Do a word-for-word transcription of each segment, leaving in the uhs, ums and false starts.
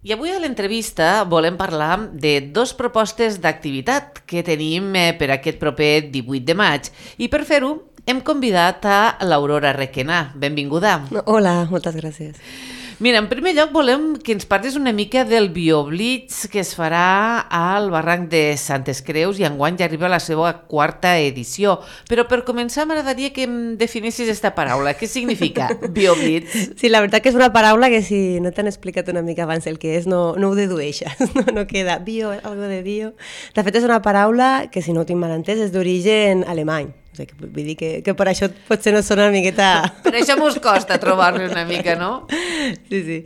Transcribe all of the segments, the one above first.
I avui a l'entrevista volem parlar de dos propostes d'activitat que tenim per aquest proper divuit de maig. I per fer-ho hem convidat a l'Aurora Requena. Benvinguda. Hola, moltes gràcies. Mira, en primer lloc volem que ens parlis una mica del BioBlitz que es farà al barranc de Santes Creus i enguany ja arriba a la seva quarta edició. Però per començar m'agradaria que em definissis aquesta paraula. Què significa BioBlitz? Sí, la veritat que és una paraula que si no t'han explicat una mica abans el que és no, no ho dedueixes, no, no queda bio, algo de bio. De fet és una paraula que si no ho tinc mal entès és d'origen alemany. O sigui, vull dir que, que per això potser no sona una miqueta... Per això mos costa trobar-lo una mica, no? Sí, sí.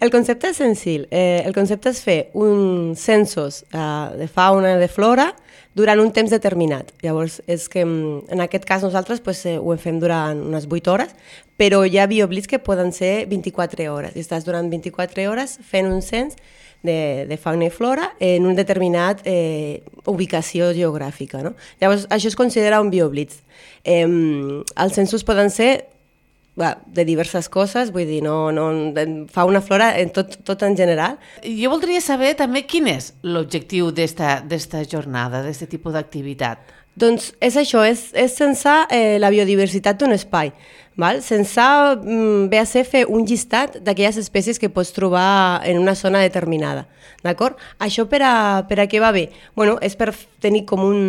El concepte és senzill. Eh, el concepte és fer uns censos eh, de fauna i de flora durant un temps determinat. Llavors, és que en aquest cas nosaltres pues, eh, ho fem durant unes vuit hores, però hi ha BioBlitz que poden ser vint-i-quatre hores. I estàs durant vint-i-quatre hores fent un cens de, de fauna i flora en un determinat eh, ubicació geogràfica. No? Llavors, això es considera un BioBlitz. Eh, els censos poden ser bé, de diverses coses, vull dir, no, no, fauna, flora, en tot, tot en general. Jo voldria saber també quin és l'objectiu d'esta jornada, d'aquest tipus d'activitat. Doncs és això, és, és censar eh, la biodiversitat d'un espai. Val? Censar mm, ve a ser fer un llistat d'aquelles espècies que pots trobar en una zona determinada. D'acord? Això per a, per a què va bé? Bueno, és per tenir com un...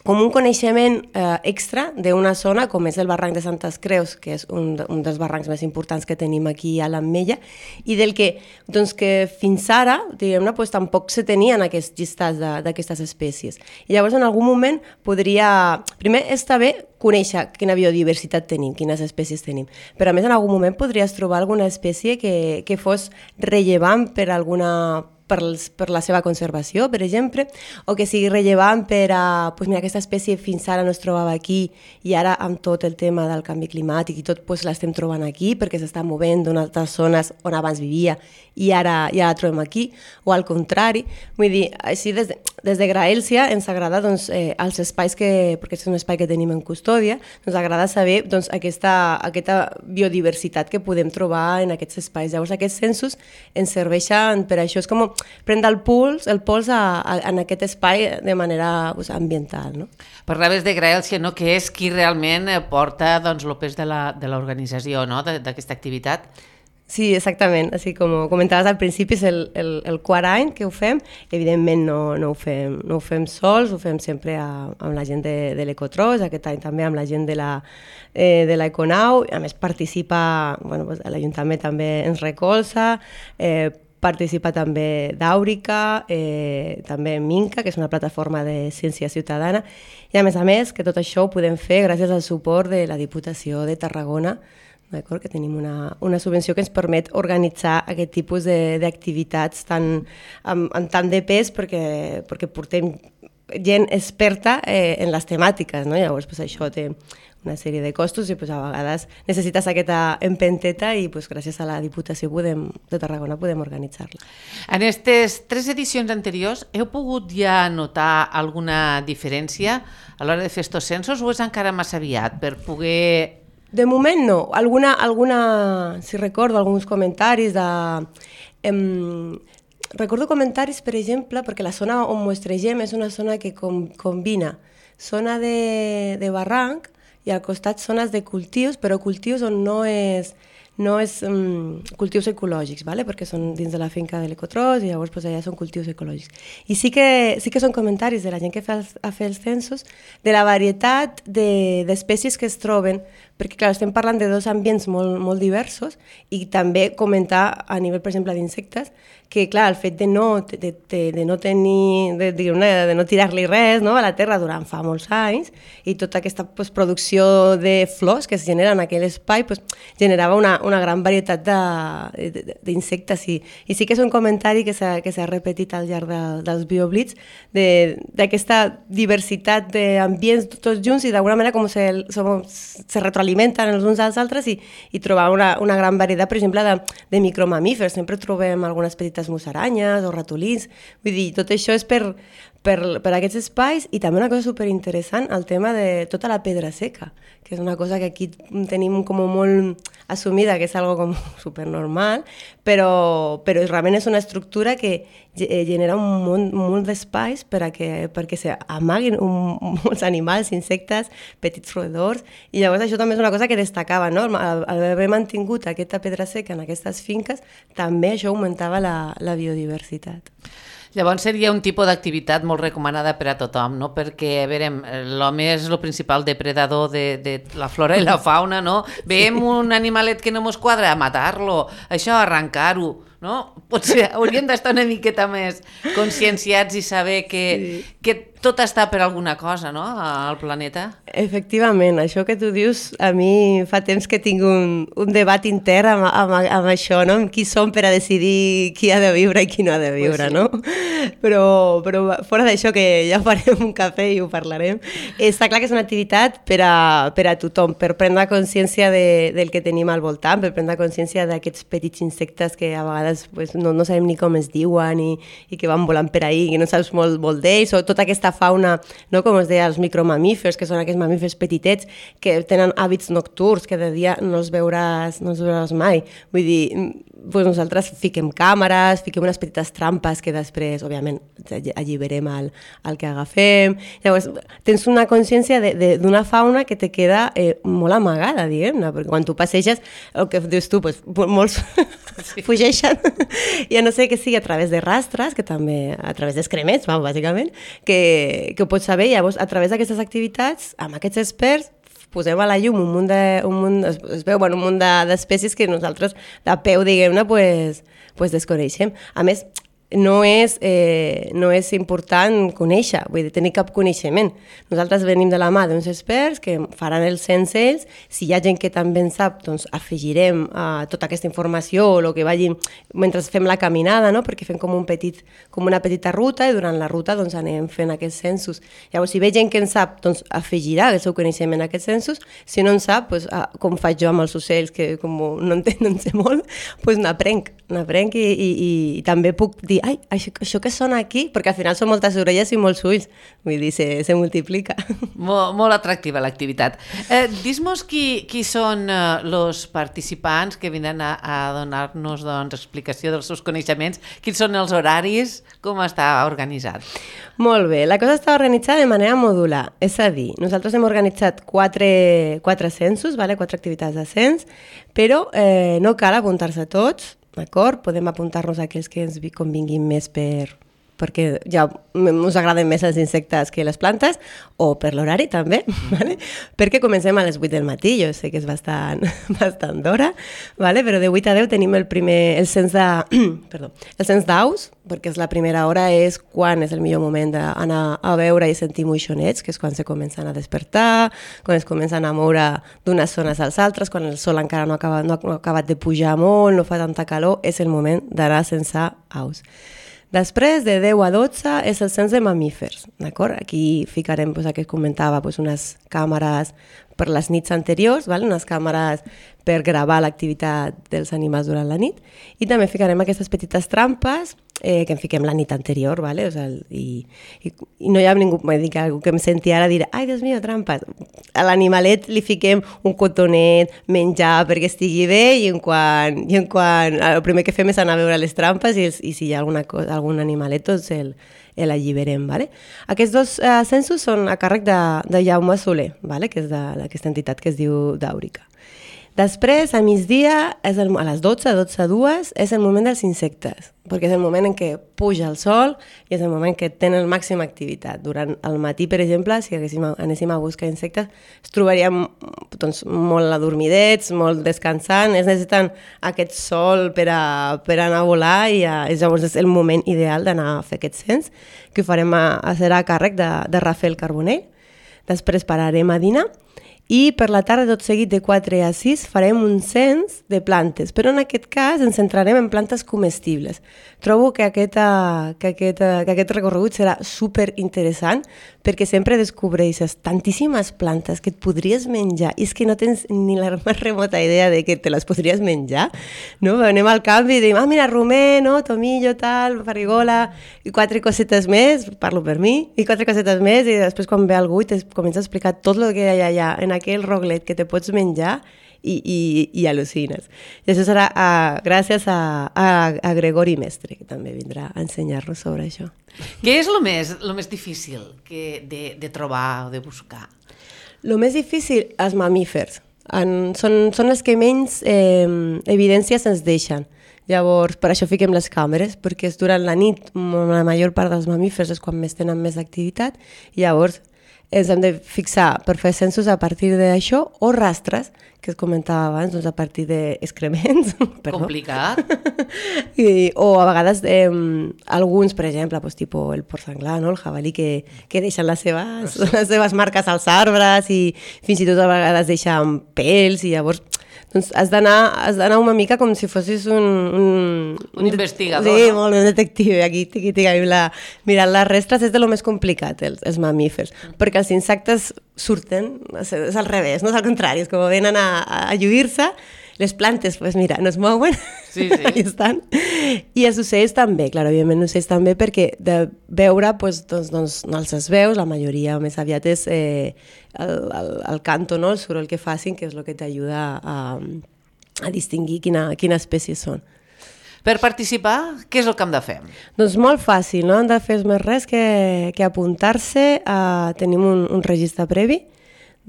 com un coneixement eh, extra d'una zona com és el barranc de Santes Creus, que és un, de, un dels barrancs més importants que tenim aquí a l'Ametlla, i del que, doncs, que fins ara, diguem-ne, pues, tampoc se tenien aquests llistats d'aquestes espècies. I llavors en algun moment podria... Primer està bé conèixer quina biodiversitat tenim, quines espècies tenim, però a més en algun moment podries trobar alguna espècie que, que fos rellevant per alguna Per, els, per la seva conservació, per exemple, o que sigui rellevant per a... Pues mira, aquesta espècie fins ara no es trobava aquí i ara amb tot el tema del canvi climàtic i tot pues, l'estem trobant aquí perquè s'està movent d'unes altres zones on abans vivia i ara ja la trobem aquí, o al contrari. Vull dir, així des de, des de Graelsia ens agrada doncs, eh, els espais que, perquè és un espai que tenim en custòdia, ens agrada saber doncs, aquesta, aquesta biodiversitat que podem trobar en aquests espais. Llavors aquests censos ens serveixen per això, és com prendre el puls, el pols a, a, en aquest espai de manera pues, ambiental. No? Parlaves de Graelsia, no? Que és qui realment porta doncs, el pes de l'organització, no? d'aquesta activitat. Sí, exactament. Així com comentaves al principi, és el, el, el quart any que ho fem. Evidentment no, no, ho, fem, no ho fem sols, ho fem sempre a, amb la gent de, de l'Ecotros, aquest any també amb la gent de la eh, de l'Econau. A més participa, bueno, pues, l'Ajuntament també ens recolza, eh, participa també d'Àurica, eh, també Minca, que és una plataforma de ciència ciutadana, i a més a més que tot això ho podem fer gràcies al suport de la Diputació de Tarragona, d'acord? Que tenim una, una subvenció que ens permet organitzar aquest tipus d'activitats tan, amb, amb tant de pes perquè, perquè portem gent experta eh, en les temàtiques, no? Llavors pues, això té una sèrie de costos i pues, a vegades necessites aquesta empenteta i pues, gràcies a la Diputació podem, de Tarragona podem organitzar-la. En aquestes tres edicions anteriors heu pogut ja notar alguna diferència a l'hora de fer estos censos o és encara massa aviat per poder... De moment no. Alguna, alguna si recordo, alguns comentaris de... Em, recordo comentaris, per exemple, perquè la zona on mostregem és una zona que com, combina zona de, de barranc i al costat zones de cultius, però cultius on no és, no és um, cultius ecològics, ¿vale? Perquè són dins de la finca de l'Ecotros i llavors pues, allà són cultius ecològics. I sí que, sí que són comentaris de la gent que fa els, a fer els censos de la varietat d'espècies de, que es troben, perquè clar, estem parlant de dos ambients molt, molt diversos i també comentar a nivell, per exemple, d'insectes, que clar, el fet de no, de, de, de no tenir, de, de, de no tirar-li res no, a la terra durant fa molts anys i tota aquesta pues, producció de flors que es genera en aquell espai pues, generava una, una gran varietat d'insectes i, i sí que és un comentari que s'ha repetit al llarg de, dels BioBlitz d'aquesta diversitat d'ambients tots junts i d'alguna manera com se, se retroalimenta s'alimenten els uns als altres i, i trobar una, una gran varietat, per exemple, de, de micromamífers. Sempre trobem algunes petites musaranyes o ratolins. Vull dir, tot això és per, per, per aquests espais i també una cosa superinteressant, el tema de tota la pedra seca, que és una cosa que aquí tenim com molt assumida, que és algo com supernormal, però, però realment és una estructura que genera un munt, un munt d'espais per a que, perquè s'amaguin molts animals, insectes, petits roedors, i llavors això també és una cosa que destacava, no? Al, al haver mantingut aquesta pedra seca en aquestes finques, també això augmentava la, la biodiversitat. Llavors seria un tipus d'activitat molt recomanada per a tothom, no? Perquè, a veure, l'home és el principal depredador de, de la flora i la fauna, no? Veiem un animalet que no mos quadra, a matar-lo, això, arrencar-ho, no? Potser hauríem d'estar una miqueta més conscienciats i saber que, sí. que tot està per alguna cosa, no?, al planeta. Efectivament, això que tu dius, a mi fa temps que tinc un, un debat intern amb, amb, amb això, no?, amb qui som per a decidir qui ha de viure i qui no ha de viure, pues sí. no? Però, però fora d'això, que ja farem un cafè i ho parlarem, està clar que és una activitat per a, per a tothom, per prendre consciència de, del que tenim al voltant, per prendre consciència d'aquests petits insectes que a vegades pues, no, no sabem ni com es diuen i, i que van volant per ahí, que no saps molt, molt d'ells, o tota aquesta fauna, no, com es deia, els micromamífers, que són aquests mamífers petitets que tenen hàbits nocturns, que de dia no els veuràs, no els veuràs mai. Vull dir, pues nosaltres fiquem càmeres, fiquem unes petites trampes que després, òbviament, alliberem el, el que agafem. Llavors, tens una consciència d'una fauna que te queda eh, molt amagada, diguem-ne, perquè quan tu passeges, el que dius tu, pues, molts sí. fugeixen, i a no sé que sigui a través de rastres, que també, a través d'excrements, bàsicament, que, que ho pots saber. Llavors, a través d'aquestes activitats, amb aquests experts, posem a la llum un munt de, un munt, es, es veu, bueno, un munt d'espècies que nosaltres, de peu, diguem-ne, pues, pues desconeixem. A més, no és, eh, no és important conèixer, vull dir, tenir cap coneixement. Nosaltres venim de la mà d'uns experts que faran el cens ells. Si hi ha gent que també en sap, doncs afegirem uh, tota aquesta informació o el que vagi mentre fem la caminada, no? Perquè fem com, un petit, com una petita ruta i durant la ruta doncs, anem fent aquests censos. Llavors, si ve gent que en sap, doncs afegirà el seu coneixement a aquests censos. Si no en sap, doncs, uh, com faig jo amb els ocells, que com no en, no en sé molt, doncs n'aprenc, n'aprenc i, i, i, i també puc dir ai, això, això que sona aquí, perquè al final són moltes orelles i molts ulls, vull dir, se, se multiplica. Molt, molt atractiva l'activitat. Eh, Dis-nos qui, qui són els eh, participants que vindran a, a donar-nos doncs, explicació dels seus coneixements, quins són els horaris, com està organitzat? Molt bé, la cosa està organitzada de manera modular, és a dir, nosaltres hem organitzat quatre, quatre censos, vale? quatre activitats de cens, però eh, no cal apuntar-se a tots, d'acord? Podem apuntar-nos a aquells que ens convinguin més per, perquè ja us agraden més els insectes que les plantes, o per l'horari també, vale? Perquè comencem a les vuit del matí, jo sé que és bastant, bastant d'hora, vale? Però de vuit a deu tenim el primer, el cens de, perdó, el cens d'aus, perquè és la primera hora, és quan és el millor moment d'anar a veure i sentir moixonets, que és quan se comencen a despertar, quan es comencen a moure d'unes zones als altres, quan el sol encara no ha acabat, no ha acabat de pujar molt, no fa tanta calor, és el moment d'anar a censar aus. Després, de deu a dotze, és el cens de mamífers, d'acord? Aquí ficarem, doncs, el que comentava, doncs, unes càmeres per les nits anteriors, val? Unes càmeres per gravar l'activitat dels animals durant la nit, i també ficarem aquestes petites trampes eh, que en fiquem la nit anterior, vale? O sigui, i, i, i no hi ha ningú, m'he dit que algú que em senti ara dir, ai, Dios mío, trampes. A l'animalet li fiquem un cotonet, menjar perquè estigui bé, i en quan, i en quan el primer que fem és anar a veure les trampes i, els, i si hi ha alguna cosa, algun animalet, doncs el, l'alliberem. Vale? Aquests dos eh, censos són a càrrec de, de Jaume Soler, vale? Que és d'aquesta entitat que es diu Dàurica. Després, a migdia, és el, a les dotze, dotze a dues, és el moment dels insectes, perquè és el moment en què puja el sol i és el moment que tenen màxima activitat. Durant el matí, per exemple, si haguéssim, anéssim a buscar insectes, es trobaríem doncs, molt adormidets, molt descansant, es necessiten aquest sol per, a, per anar a volar i a, llavors és el moment ideal d'anar a fer aquest cens, que ho farem a, a serà a càrrec de, de Rafael Carbonell. Després pararem a dinar i per la tarda, tot seguit, de quatre a sis, farem un cens de plantes, però en aquest cas ens centrarem en plantes comestibles. Trobo que, aquesta, que, aquesta, que aquest recorregut serà super interessant perquè sempre descobreixes tantíssimes plantes que et podries menjar i és que no tens ni la més remota idea de que te les podries menjar, no? Anem al camp i diem, ah, mira, romer, no? Tomillo, tal, farigola, i quatre cosetes més, parlo per mi, i quatre cosetes més, i després quan ve algú i te comença a explicar tot el que hi ha allà en aquell roglet que te pots menjar i, i, i al·lucines. I això serà a, gràcies a, a, a Gregori Mestre, que també vindrà a ensenyar-nos sobre això. Què és el més, lo més difícil que de, de trobar o de buscar? El més difícil, els mamífers. En, són, són els que menys eh, evidències ens deixen. Llavors, per això fiquem les càmeres, perquè és durant la nit, la major part dels mamífers és quan més tenen més activitat, i llavors ens hem de fixar per fer censos a partir d'això, o rastres, que es comentava abans, doncs a partir d'excrements. Complicat. I, o a vegades eh, alguns, per exemple, pues, tipus el porc senglar, no? El jabalí, que, que deixen les seves, les seves marques als arbres i fins i tot a vegades deixen pèls i llavors doncs has d'anar has d'anar una mica com si fossis un... Un, un investigador. Sí, no? molt un detectiu. Aquí, aquí, aquí la, mirant les restes és de lo més complicat, els, els mamífers, perquè els insectes surten, és, és al revés, no és al contrari, és com venen a, a lluir-se. Les plantes, pues mira, no es mouen, sí, sí. Allà estan. I els ocells també, clar, òbviament els ocells també, perquè de veure, pues, doncs, doncs no els veus, la majoria més aviat és eh, el, el, el canto, no? El soroll que facin, que és el que t'ajuda a, a distingir quina, quina espècie són. Per participar, què és el que hem de fer? Doncs molt fàcil, no han de fer més res que, que apuntar-se, a, tenim un, un registre previ,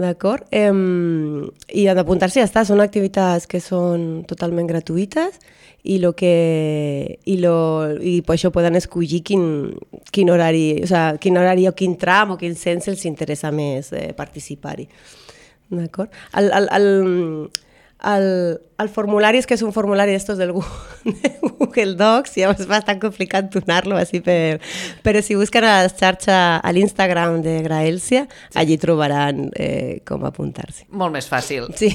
d'acord? Eh, I han d'apuntar-se i ja està, són activitats que són totalment gratuïtes i, lo que, i, lo, i per això poden escollir quin, quin, horari, o sea, quin horari o quin tram o quin cens els interessa més eh, participar-hi. D'acord? El, el, el, el, el formulari és que és un formulari d'estos del Google Docs i llavors és bastant complicat donar-lo així per... Però si busquen a la xarxa, a l'Instagram de Graelsia, sí. Allí trobaran eh, com apuntar-s'hi. Molt més fàcil. Sí.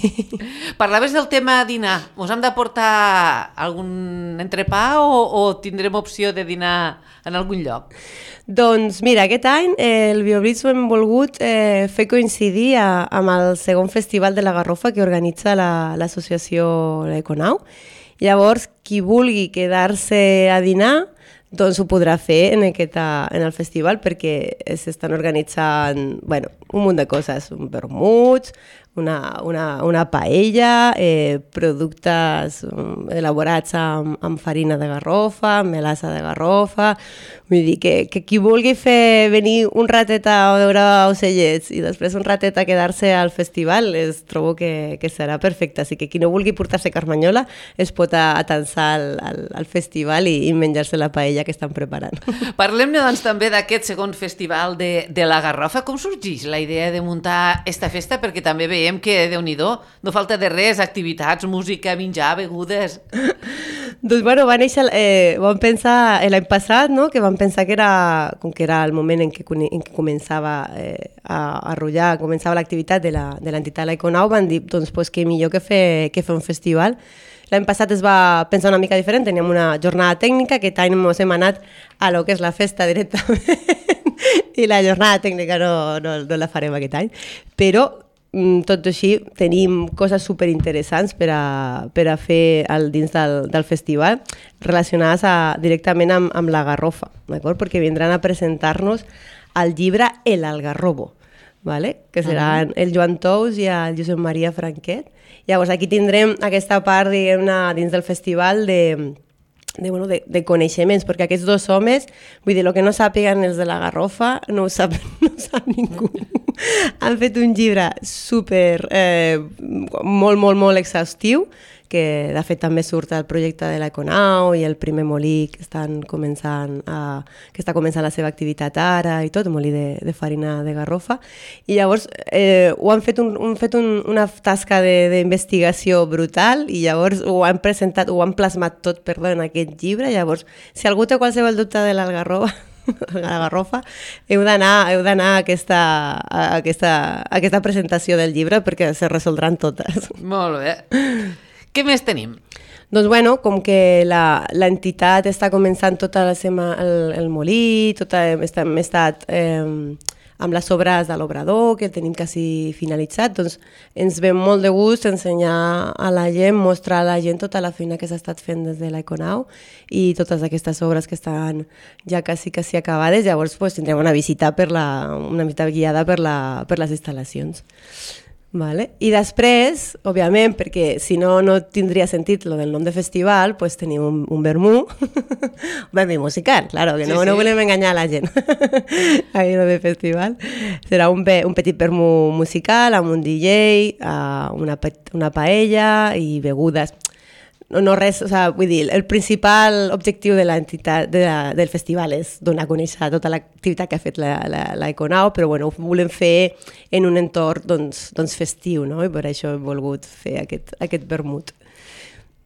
Parlaves del tema dinar. Us hem de portar algun entrepà o, o tindrem opció de dinar en algun lloc? Doncs mira, aquest any eh, el BioBlitz ho hem volgut eh, fer coincidir a, amb el segon festival de la Garrofa que organitza la, l'associació L'Econau. Llavors, qui vulgui quedar-se a dinar, doncs ho podrà fer en, aquesta, en el festival perquè s'estan organitzant bueno, un munt de coses, un vermut, una, una, una paella, eh, productes elaborats amb, amb farina de garrofa, amb melassa de garrofa, vull dir que, que qui vulgui fer venir un ratet a veure ocellets i després un ratet a quedar-se al festival, es trobo que, que serà perfecte, així que qui no vulgui portar-se carmanyola es pot atansar al, al, al festival i, i menjar-se la paella que estan preparant. Parlem-ne doncs també d'aquest segon festival de, de la Garrofa. Com sorgeix la idea de muntar esta festa? Perquè també veiem que, Déu-n'hi-do, no falta de res, activitats, música, menjar, begudes... Doncs bueno, va néixer, eh, vam pensar l'any passat, no? Que vam pensar que era, com que era el moment en què, en què començava eh, a, a rotllar, començava l'activitat de l'entitat L'Econau, van dir, doncs, pues, que millor que fer, que fer un festival. L'any passat es va pensar una mica diferent, teníem una jornada tècnica, aquest any ens hem anat a lo que és la festa directament, i la jornada tècnica no, no, no la farem aquest any, però tot així tenim coses superinteressants per a, per a fer al, dins del, del festival relacionades a, directament amb, amb la Garrofa, d'acord? Perquè vindran a presentar-nos el llibre El Algarrobo, ¿vale? Que seran uh-huh. el Joan Tous i el Josep Maria Franquet. Llavors aquí tindrem aquesta part diguem-ne dins del festival de De, bueno, de, de coneixements, perquè aquests dos homes, vull dir, el que no sàpiguen els de la Garrofa, no ho sap, no ho sap ningú. Han fet un llibre super, eh, molt, molt, molt exhaustiu, que de fet també surt el projecte de l'Econau i el primer molí que, estan començant a, que està començant la seva activitat ara i tot, molí de, de farina de garrofa. I llavors eh, ho han fet, un, han fet un, una tasca d'investigació brutal i llavors ho han presentat, ho han plasmat tot, perdó, en aquest llibre. Llavors, si algú té qualsevol dubte de l'Algarroba, la Garrofa, heu d'anar heu d'anar a aquesta, a, aquesta, a aquesta presentació del llibre perquè se resoldran totes. Molt bé. Què més tenim? Doncs bueno, com que l'entitat està començant tota la sema, el, el molí, tota, hem estat eh, amb les obres de l'obrador, que tenim quasi finalitzat, doncs ens ve molt de gust ensenyar a la gent, mostrar a la gent tota la feina que s'ha estat fent des de l'Econau i totes aquestes obres que estan ja quasi, quasi acabades. Llavors pues, tindrem una visita, per la, una visita guiada per, la, per les instal·lacions. Vale. I després, òbviament, perquè si no no tindria sentit lo del nom de festival, pues tenim un, un vermú, un vermú musical, claro, que no, sí, sí. no volem enganyar a la gent. Ahí lo de festival. Serà un, un petit vermú musical amb un D J, una, una paella i begudes. No, no res, o sea, vull dir, el principal objectiu de l'entitat de la, del festival és donar a conèixer tota l'activitat que ha fet l'Econau, però bueno, ho volem fer en un entorn doncs, doncs festiu, no? I per això hem volgut fer aquest, aquest vermut.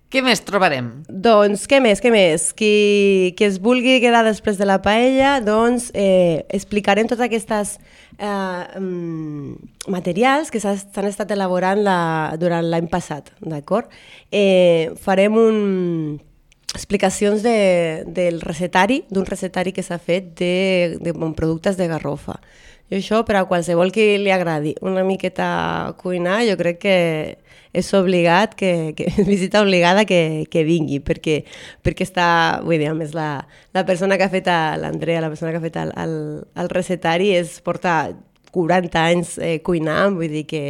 Què més trobarem? Doncs, què més, què més? Qui, qui es vulgui quedar després de la paella, doncs eh, explicarem totes aquestes eh, materials que s'han estat elaborant la, durant l'any passat, d'acord? Eh, farem un, explicacions de, del recetari, d'un recetari que s'ha fet de, de productes de garrofa. I això, per a qualsevol que li agradi una miqueta cuinar, jo crec que és obligat, que, que és visita obligada que, que vingui, perquè, perquè està, vull dir, a més la, la persona que ha fet, l'Andrea, la persona que ha fet el, el, el recetari, es porta quaranta anys eh, cuinant, vull dir que,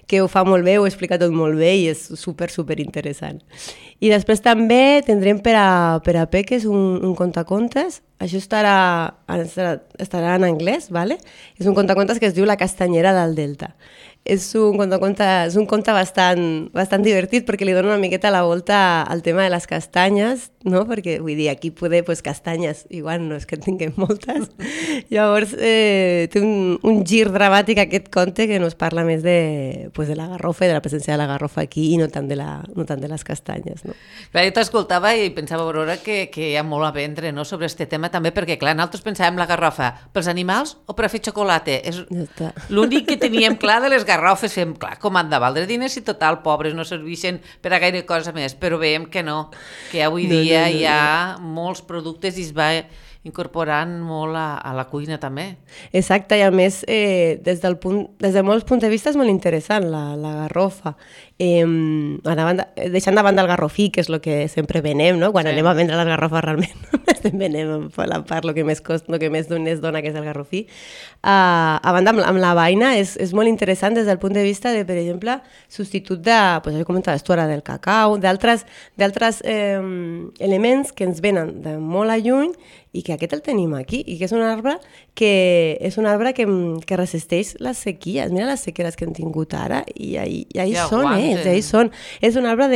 que ho fa molt bé, ho explica tot molt bé i és super, super interessant. I després també tindrem per a, per a peques un, un contacontes, això estarà, estarà, estarà en anglès, ¿vale? És un contacontes que es diu La castanyera del Delta. És un conte, és un conte bastant, bastant divertit perquè li dona una miqueta la volta al tema de les castanyes, no? Perquè vull dir, aquí poder, pues, castanyes, igual no és que en tinguem moltes. Llavors eh, té un, un gir dramàtic aquest conte que nos parla més de, pues, de la garrofa i de la presència de la garrofa aquí i no tant de, la, no tant de les castanyes. No? Clar, jo t'escoltava i pensava, Aurora, que, que hi ha molt a vendre, no?, sobre aquest tema també, perquè clar, nosaltres pensàvem la garrofa pels animals o per a fer xocolata. És ja l'únic que teníem clar de les garrofes, fem, clar, com han de valdre diners i total, pobres, no serveixen per a gaire cosa més, però veiem que no, que avui dia no, no, no, hi ha no. molts productes i es va incorporant molt a, a la cuina també. Exacte, i a més, eh, des, del punt, des de molts punts de vista és molt interessant la, la garrofa. Eh, banda, deixant de banda el garrofí, que és el que sempre venem, no? Quan sí. anem a vendre les garrofes realment estem venem per la part el que més cost, el que més es dona, que és el garrofí. Uh, a banda, amb, amb la vaina és, és molt interessant des del punt de vista de, per exemple, substitut de, pues, jo comentaves tu ara, del cacau, d'altres eh, elements que ens venen de molt a lluny i que aquest el tenim aquí, i que és un arbre que és un arbre que, que resisteix les sequies. Mira les sequeres que hem tingut ara, i ahí, i ahí ja són aguanten. ells, ahí són. És un arbre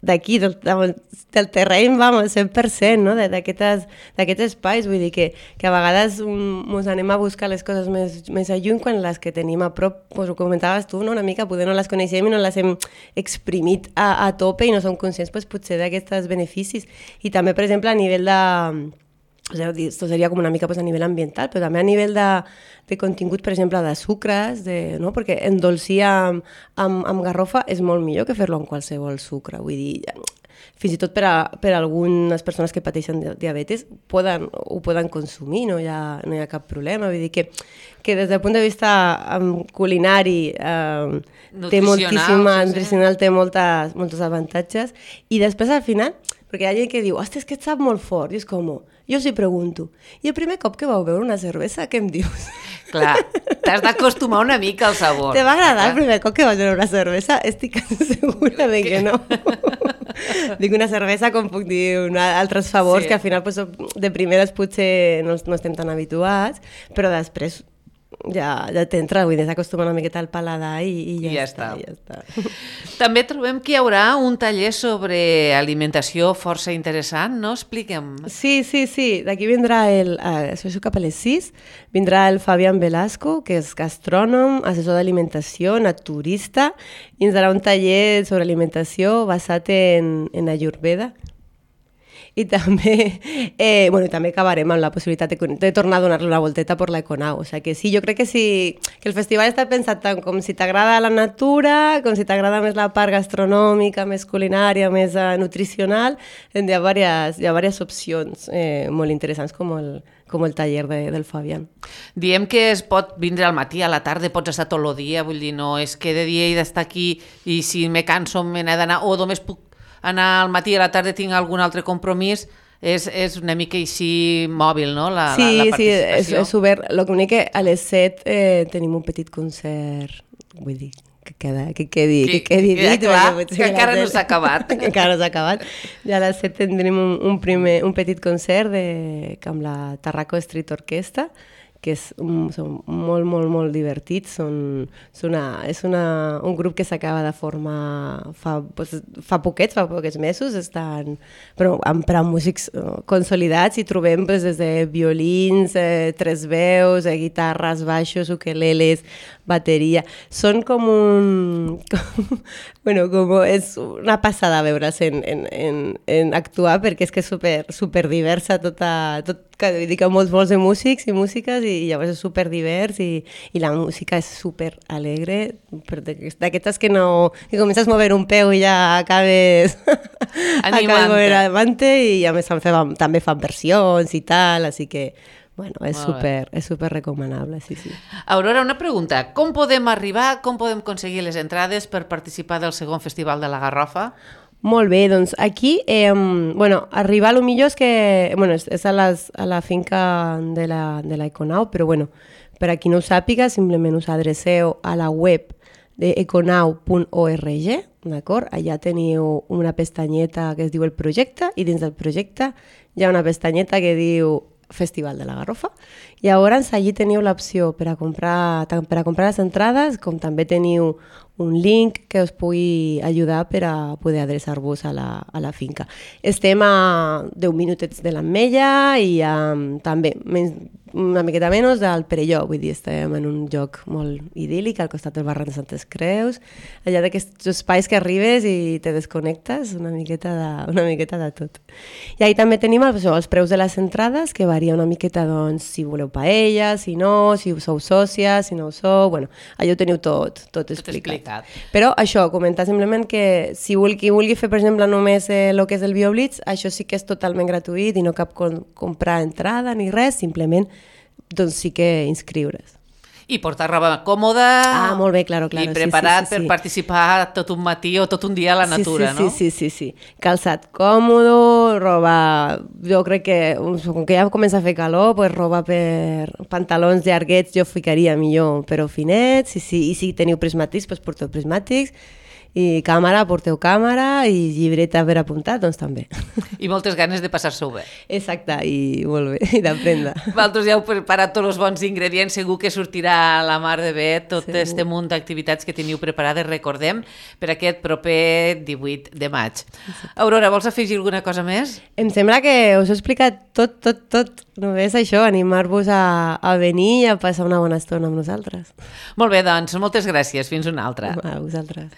d'aquí, de, de, del, del terreny, vamos, cent per cent, no? d'aquests espais, vull dir que, que a vegades ens anem a buscar les coses més, més a lluny quan les que tenim a prop, pues, ho comentaves tu, no? Una mica, poder no les coneixem i no les hem exprimit a, a tope i no som conscients, pues, potser d'aquests beneficis. I també, per exemple, a nivell de... O sigui, esto seria com una mica pues, a nivell ambiental, però també a nivell de, de contingut, per exemple, de sucres, de, no? Perquè endolcir amb, amb, amb garrofa és molt millor que fer-lo amb qualsevol sucre. Vull dir, fins i tot per a, per a algunes persones que pateixen diabetes poden, ho poden consumir, no hi ha, no hi ha cap problema. Vull dir que, que des del punt de vista um, culinari um, té moltíssima, sí, nutricional, té moltes, molts avantatges. I després, al final, perquè hi ha gent que diu, ostres, que et sap molt fort, i és com... Jo us hi pregunto, i el primer cop que vau beure una cervesa, què em dius? Clar, t'has d'acostumar una mica al sabor. Te va agradar el primer cop que vas beure una cervesa? Estic segura de que no. Dic una cervesa, com puc dir, una, altres favors, sí. que al final pues, de primeres potser no, no estem tan habituats, però després ja, ja t'entra, vull dir, s'acostuma una miqueta al paladar i, i, ja, I ja, està, està. ja està. També trobem que hi haurà un taller sobre alimentació força interessant, no? Expliquem. Sí, sí, sí. D'aquí vindrà el... Eh, això és cap a les sis. Vindrà el Fabián Velasco, que és gastrònom, assessor d'alimentació, naturista, i ens darà un taller sobre alimentació basat en, en Ayurveda. i també, eh, bueno, també acabarem amb la possibilitat de, de tornar a donar-li una volteta per l'Econau. O sigui que sí, jo crec que sí, que el festival està pensat tant com si t'agrada la natura, com si t'agrada més la part gastronòmica, més culinària, més uh, nutricional. Hi ha diverses, hi ha diverses opcions eh, molt interessants com el, com el taller de, del Fabián. Diem que es pot vindre al matí, a la tarda, pots estar tot el dia, vull dir, no és que de dia he d'estar aquí i si me canso me n'he d'anar, o només puc anar al matí i a la tarda tinc algun altre compromís, és, és una mica així mòbil, no?, la, sí, la, la participació. Sí, és, és obert. L'únic que a les set eh, tenim un petit concert, vull dir, que, queda, que quedi, que, que quedi que, dit. Clar, que, que encara no s'ha acabat. que encara no s'ha acabat. Ja a les set tindrem un, un, primer, un petit concert de, amb la Tarraco Street Orquestra, que és, um, són molt, molt, molt divertits. Són, són una, és una, un grup que s'acaba de formar fa, pues, fa poquets, fa poquets mesos, estan, però amb, per a músics uh, consolidats i trobem pues, des de violins, eh, tres veus, eh, guitarres, baixos, ukeleles, bateria. Són com un... Com, bueno, com és una passada veure's en, en, en, en actuar perquè és que és super, super diversa tota... Tot, que dic que molts, molts de músics i músiques i llavors és super divers i, i la música és super alegre, d'aquestes que no... que comences a moure un peu i ja acabes... acabes mover avante i a més fan, també fan versions i tal, així que... Bueno, és super, és super recomanable, sí, sí. Aurora, una pregunta. Com podem arribar, com podem aconseguir les entrades per participar del segon Festival de la Garrofa? Molt bé, doncs aquí, eh, bueno, arribar a lo millor és que, bueno, és, és a, les, a la finca de la, de la Econau, però bueno, per a qui no ho sàpiga, simplement us adreceu a la web de econau punt org, d'acord? Allà teniu una pestanyeta que es diu el projecte i dins del projecte hi ha una pestanyeta que diu Festival de la Garrofa. I llavors allí teniu l'opció per a comprar tant per a comprar les entrades com també teniu un link que us pugui ajudar per a poder adreçar-vos a la, a la finca. Estem a deu minutets de l'Ametlla i um, també menys, una miqueta menys del Perelló, vull dir, estem en un lloc molt idíl·lic al costat del barranc de Santes Creus, allà d'aquests espais que arribes i te desconnectes, una miqueta de, una miqueta de tot. I ahí també tenim els, els preus de les entrades, que varia una miqueta, doncs, si voleu paella, si no, si sou sòcies, si no ho sou, bueno, allò ho teniu tot, tot explicat. Tot explicat. Però això, comentar simplement que si vulgui, vulgui fer, per exemple, només el eh, que és el BioBlitz, això sí que és totalment gratuït i no cap com, comprar entrada ni res, simplement doncs sí que inscriure's. I portar roba còmoda ah, molt bé, claro, claro. i preparat sí, sí, sí, per sí. participar tot un matí o tot un dia a la natura, sí, sí, no? Sí, sí, sí, sí. Calçat còmodo, roba... Jo crec que, com que ja comença a fer calor, pues roba per pantalons llarguets jo ficaria millor, però finets, i si, i si teniu prismàtics, pues porteu prismàtics, i càmera, porteu càmera, i llibreta per apuntar, doncs també. I moltes ganes de passar-s'ho bé. Exacte, i molt bé, i d'aprendre. Vosaltres ja heu preparat tots els bons ingredients, segur que sortirà a la mar de bé tot segur. Este munt d'activitats que teniu preparades, recordem, per aquest proper divuit de maig. Exacte. Aurora, vols afegir alguna cosa més? Em sembla que us he explicat tot, tot, tot. Només això, animar-vos a, a venir i a passar una bona estona amb nosaltres. Molt bé, doncs, moltes gràcies. Fins una altra. A vosaltres.